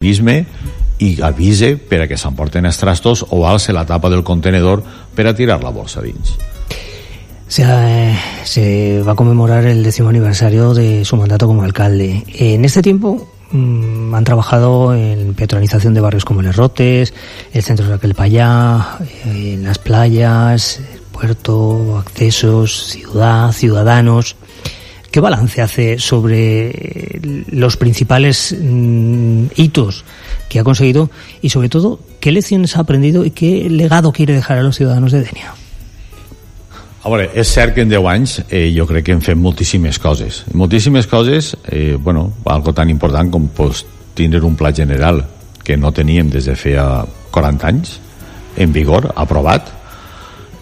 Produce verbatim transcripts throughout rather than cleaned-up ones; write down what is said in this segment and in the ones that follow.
i avise per a que s'emporten els trastos o alce la tapa del contenedor per a tirar la bolsa dins. Se, eh, se va a conmemorar el décimo aniversario de su mandato como alcalde. En este tiempo mmm, han trabajado en peatonalización de barrios como Les Rotes, el centro de Raquel Payá, eh, en las playas, el puerto, accesos, ciudad, ciudadanos. ¿Qué balance hace sobre los principales mmm, hitos que ha conseguido y sobre todo qué lecciones ha aprendido y qué legado quiere dejar a los ciudadanos de Dénia? A veure, és cert que en deu anys eh, jo crec que hem fet moltíssimes coses. Moltíssimes coses, eh, bueno, algo tan important com pues, tindre un pla general que no teníem des de feia quaranta anys, en vigor, aprovat.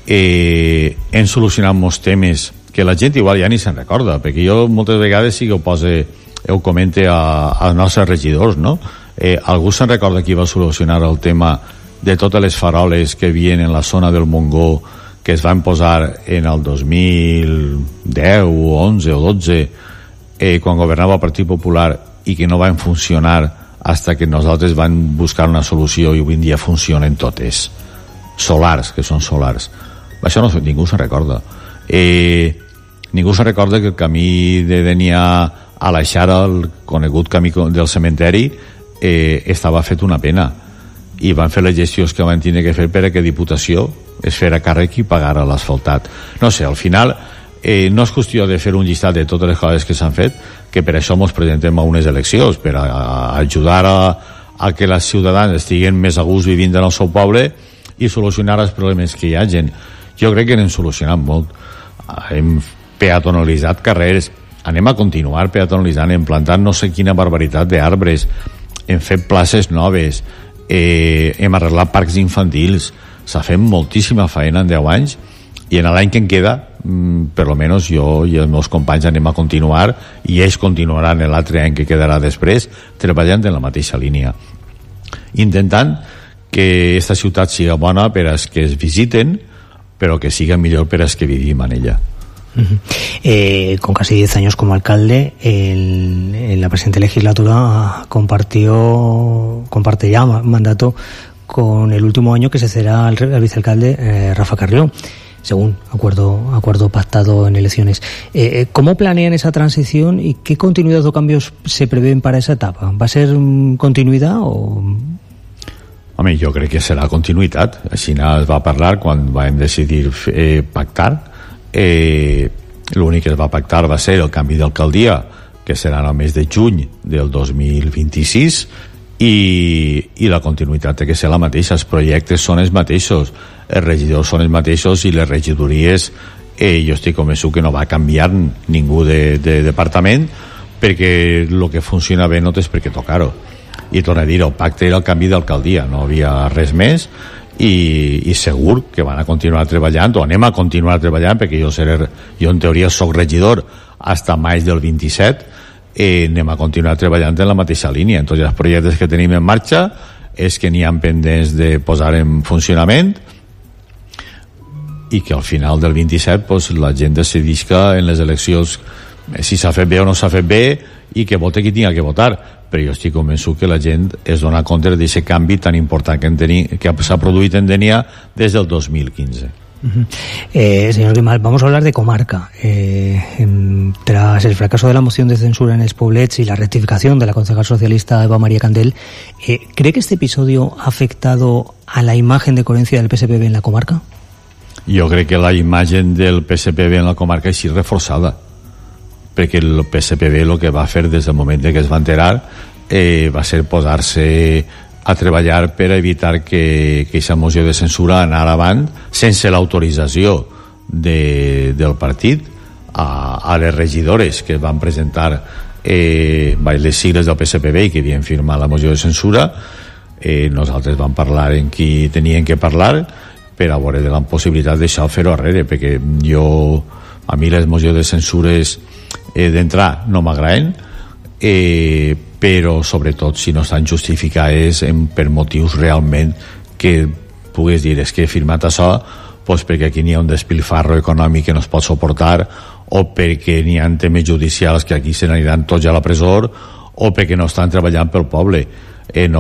Eh, hem solucionat molts temes que la gent igual ja ni se'n recorda, perquè jo moltes vegades sí que ho pose, ho comente a, als nostres regidors, no? Eh, algú se'n recorda qui va solucionar el tema de totes les faroles que havien en la zona del Montgó que es van posar en el dos mil deu, onze o dotze, eh, quan governava el Partit Popular i que no van funcionar fins que nosaltres vam buscar una solució i avui en dia funcionen totes. Solars, que són solars. Això no, ningú se'n recorda. Eh, ningú se'n recorda que el camí de Dénia a la Xara, el conegut camí del cementeri, eh, estava fet una pena. I van fer les gestions que van tenir que fer per a que Diputació es fera càrrec i pagara l'asfaltat. No sé, al final eh, no és qüestió de fer un llistat de totes les coses que s'han fet, que per això ens presentem a unes eleccions, per a, a ajudar a, a que les ciutadans estiguen més a gust vivint en el seu poble i solucionar els problemes que hi hagin. Jo crec que n'hem solucionat molt. Hem peatonalitzat carrers, anem a continuar peatonalitzant, hem plantat no sé quina barbaritat d'arbres, hem fet places noves, eh, hem arreglat parcs infantils, s'ha fet moltíssima feina en deu anys i en l'any que en queda mm, per almenys jo i els meus companys anem a continuar i ells continuaran en l'altre any que quedarà després treballant en la mateixa línia, intentant que aquesta ciutat siga bona per als que es visiten però que siga millor per als que vivim en ella. Uh-huh. Eh, con casi diez años como alcalde, el, en la presente legislatura compartió, comparte ya mandato con el último año que se será el, el vicealcalde eh, Rafa Carrió, según acuerdo acuerdo pactado en elecciones. Eh, ¿Cómo planean esa transición y qué continuidad o cambios se prevén para esa etapa? ¿Va a ser continuidad o...? Home, jo crec que serà continuïtat. Així es va parlar quan vam decidir eh, pactar. Eh, l'únic que es va pactar va ser el canvi d'alcaldia, que serà el mes de juny del dos mil vint-i-sis, i, i la continuïtat té que ser la mateixa. Els projectes són els mateixos, els regidors són els mateixos i les regidories, eh, jo estic convençut que no va canviar ningú de, de departament, perquè el que funciona bé no tens per què tocar-ho. I torno a dir, el pacte era el canvi d'alcaldia, no havia res més, i, i segur que van a continuar treballant, o anem a continuar treballant, perquè jo seré, jo en teoria soc regidor fins a maig del vint-i-set, eh, anem a continuar treballant en la mateixa línia. En tots els projectes que tenim en marxa és que n'hi ha pendents de posar en funcionament i que al final del vint-i-set pues, la gent decidisca en les eleccions si s'ha fet bé o no s'ha fet bé i que vote qui tinga que votar. Però jo estic convençut que la gent es dona compte d'aquest canvi tan important que, teni, que s'ha produït en Dénia des del dos mil quinze. Uh-huh. eh, señor Grimal, vamos a hablar de comarca. Eh, en, tras el fracaso de la moción de censura en Els Poblets y la rectificación de la concejal socialista Eva María Candel, eh, ¿cree que este episodio ha afectado a la imagen de coherencia del P S P B en la comarca? Jo crec que la imatge del P S P B en la comarca és reforçada, perquè el P S P B el que va fer des del moment que es va enterar eh, va ser posar-se a treballar per evitar que aquesta moció de censura anara avant sense l'autorització de, del partit a, a les regidores que van presentar eh, les sigles del P S P B i que havien firmat la moció de censura. Eh, nosaltres vam parlar en qui tenien que parlar per a veure de la possibilitat d'això fer-ho arrere, perquè jo a mi les mocions de censures eh, d'entrar no m'agraden, eh, però sobretot si no estan justificades en, per motius realment que pugues dir és que he firmat això pues perquè aquí n'hi ha un despilfarro econòmic que no es pot suportar, o perquè n'hi ha temes judicials que aquí se n'aniran tots a la presó, o perquè no estan treballant pel poble. en